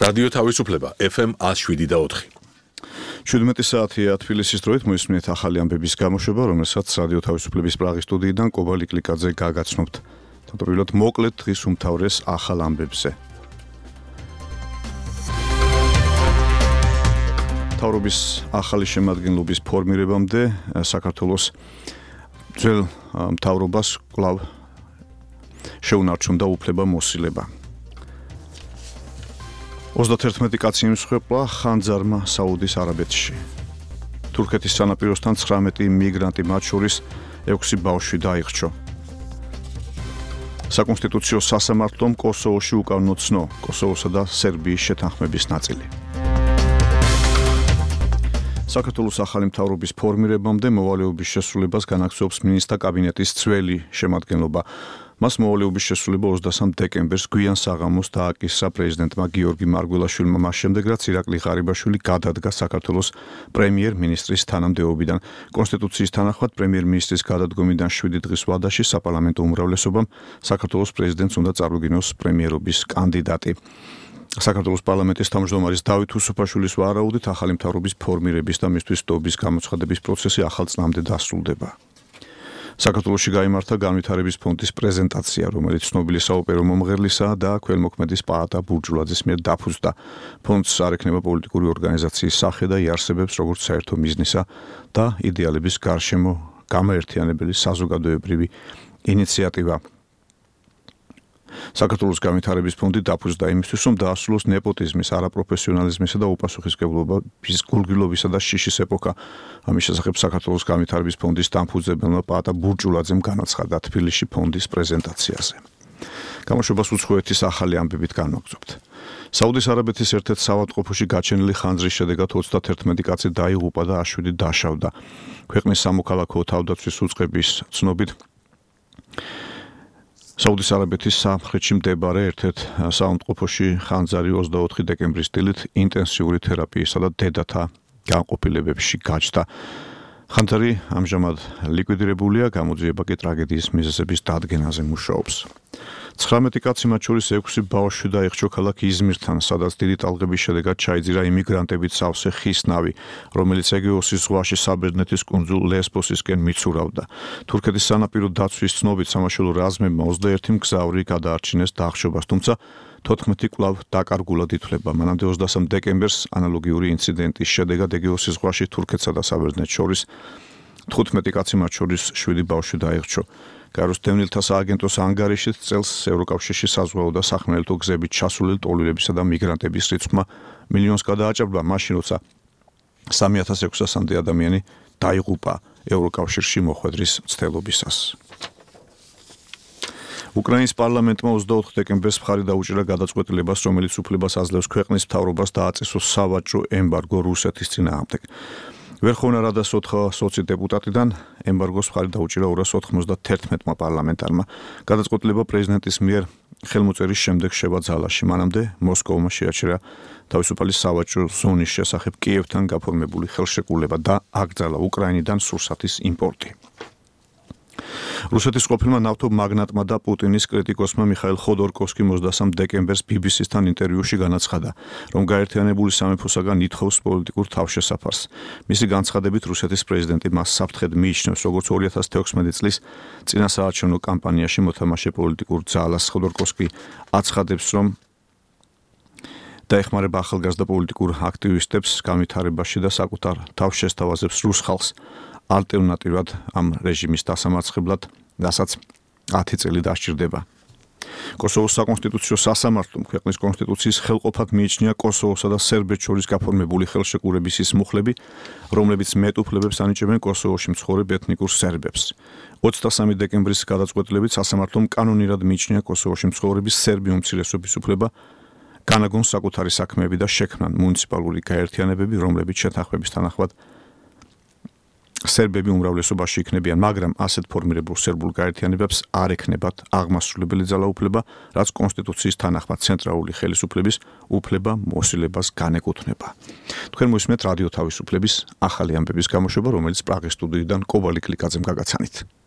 რადიო თავისუფლება FM 107.4. 17 საათია თბილისის დროით მოისმინეთ ახალი ამბების გამოშვება, რომელსაც რადიო თავისუფლების პრაღის სტუდიიდან კობალი კლიკაძე გაგაცნობთ. თავდაპირველად მოკლედ დღის უმთავრეს ახალ ამბებზე. მთავრობის ახალი შემადგენლობის ფორმირებამდე საქართველოს ძველ მთავრობას კვლავ შეუნარჩუნდა უფლება მოსილება. 31 კაცი იმსხვერპლა ხანძარმა საუდის არაბეთში. თურქეთის სანაპიროსთან 19 მიგრანტი, მათ შორის 6 ბავშვი დაიხრჩო. საკონსტიტუციო სასამართლომ კოსოვოში უკანონო ცნო კოსოვოსა და სერბიის შეთანხმების ნაწილი. საქართველოს ახალი მთავრობის ფორმირებამდე მოვალეობის შესრულებას განაგრძობს მინისტრთა კაბინეტის ძველი შემადგენლობა. მას მოვალეობის შესრულება 23 დეკემბერს გვიან საღამოს დააკისრა პრეზიდენტმა გიორგი მარგველაშვილმა, მას შემდეგ რაც ირაკლი ღარიბაშვილი გადადგა საქართველოს პრემიერ-მინისტრის თანამდებობიდან. კონსტიტუციის თანახმად პრემიერ-მინისტრის გადადგომიდან 7 დღის ვადაში საპარლამენტო უმრავლესობამ საქართველოს პრეზიდენტს უნდა წარუგინოს პრემიერობის კანდიდატი. საქართველოს პარლამენტის თავმჯდომარის დავით უსუფაშვილის ვარაუდით ახალი მთავრობის ფორმირების და მისთვის სტობის გამოცხადების პროცესი ახალ წლამდე დასრულდება. საქართველოში გაიმართა განვითარების ფონდის პრეზენტაცია, რომელიც ცნობილი საოპერო მომღერლისა და ქველმოქმედის პაატა ბურჯულაძის მიერ დაფუძნდა. ფონდს არ ექნება პოლიტიკური ორგანიზაციის სახე და იარსებებს როგორც საერთო მიზნისა და იდეალების გარშემო გამაერთიანებელი საზოგადოებრივი ინიციატივა. საქართველოს განვითარების ფონდი დაფუძნდა იმისთვის, რომ დაასრულოს ნეპოტიზმის, არაპროფესიონალიზმისა და უპასუხისმგებლობის გულგრილობისა და შიშის ეპოქა. ამის შესახებ საქართველოს განვითარების ფონდის დამფუძნებელმა პაატა ბურჯულაძემ განაცხადა თბილისში ფონდის პრეზენტაციაზე. გამოშვებას უცხოეთის ახალი ამბებით განვაგრძობთ. საუდის არაბეთის ერთ-ერთ საავადმყოფოში გაჩენილი ხანძრის შედეგად 31 კაცი დაიღუპა და 7 დაშავდა. ქვეყნის სამოქალაქო თავდაცვის უწყების ცნობით საუდის არაბეთის სამხრეთში მდებარე ერთ-ერთ საავადმყოფოში ხანძარი 24 დეკემბრის დილით ინტენსიური თერაპიისა და დედათა განყოფილებებში გაჩნდა. ხანძარი ამჟამად ლიკვიდირებულია, გამოძიება კი ტრაგედიის მიზეზების დადგენაზე მუშაობს. 19 კაცი, მათ შორის 6 ბავშვი დაიხრჩო ქალაქ იზმირთან, სადაც დიდი ტალღების შედეგად ჩაიძირა იმიგრანტებით სავსე ხის ნავი, რომელიც ეგეოსის ზღვაში საბერძნეთის კუნძულ ლესბოსისკენ მიცურავდა. თურქეთის სანაპირო დაცვის ცნობით სამაშველო რაზმებმა 21 მგზავრი გადაარჩინეს დახშობას, თუმცა 14 კვლავ დაკარგულად ითვლება. მანამდე 23 დეკემბერს ანალოგიური ინციდენტის შედეგად ეგეოსის ზღვაში თურქეთსა და საბერძნეთს შორის 15 კაცი, მათ შორის 7 ბავშვი დაიხრჩო. გაეროს დევნილთა სააგენტოს ანგარიშით წელს ევროკავშირში საზღვაო და სახმელეთო გზებით ჩასულელი ტოლირებისა და მიგრანტების რიცხვმა მილიონს გადააჭარბა, მაშინ როცა 3600-მდე ადამიანი დაიღუპა ევროკავშირში მოხვედრის მცდელობისას. უკრაინის პარლამენტმა 24 დეკემბერს მხარი დაუჭირა გადაწყვეტილებას, რომელიც უფლებას აძლევს ქვეყნის მთავრობას დააწესოს სავაჭრო ემბარგო რუსეთის წინააღმდეგ. ვერხოვნა რადას 4 სოციალ დეპუტატიდან ემბარგოს მხარი დაუჭირა 291 პარლამენტარმა. გადაწყვეტილება პრეზიდენტის მიერ ხელმოწერის შემდეგ შევა ძალაში. მანამდე მოსკოვმა შეაჩერა თავისუფალი სავაჭრო ზონის შესახებ კიევთან გაფორმებული ხელშეკრულება და აკრძალა უკრაინიდან სურსათის იმპორტი. რუსეთის ყოფილმა ნავთობ მაგნატმა და პუტინის კრიტიკოსმა მიხაილ ხოდორკოვსკიმ 23 დეკემბერს BBC-სთან ინტერვიუში განაცხადა, რომ გაერთიანებული სამეფოსაგან ითხოვს პოლიტიკურ თავშესაფარს. მისი განცხადებით რუსეთის პრეზიდენტი მას საფრთხედ მიიჩნევს, როგორც 2016 წლის წინასაარჩევნო კამპანიაში მოთამაშე პოლიტიკურ ძალას. ხოდორკოვსკი აცხადებს, რომ დაეხმარება ახალგაზრდა პოლიტიკურ აქტივისტებს განვითარებაში და საკუთარ თავშესთავაზებს რუს ხალხს ალტერნატიურად ამ რეჟიმის დასამარცხებლად, რასაც 10 წელი დასჭირდება. კოსოვოს საკონსტიტუციო სასამართლომ ქვეყნის კონსტიტუციის ხელყოფად მიიჩნია კოსოვოსა და სერბეთს შორის გაფორმებული ხელშეკრულების ის მუხლები, რომლებიც მეტ უფლებებს ანიჭებენ კოსოვოში მცხოვრებ ეთნიკურ სერბებს. 23 დეკემბრის გადაწყვეტილებით სასამართლომ კანონირად მიიჩნია კოსოვოში მცხოვრების სერბი უმცირესობის უფლება განაგონ საკუთარი საქმეები და შექმნან მუნიციპალური გაერთიანებები, რომლებიც შეთანხმების თანახმად სერბები უმრავლესობაში იქნებიან, მაგრამ ასეთ ფორმირებულ სერბულ გაერთიანებებს არ ექნებათ აღმასრულებელი ძალაუფლება, რაც კონსტიტუციის თანახმად ცენტრალური ხელისუფლების უფლება მოსილებას განეკუთვნება. თქვენ მოისმენთ რადიო თავისუფლების ახალი ამბების გამოშვება, რომელიც პრაღის სტუდიიდან კობალი კლიკაძემ გაგაცანით.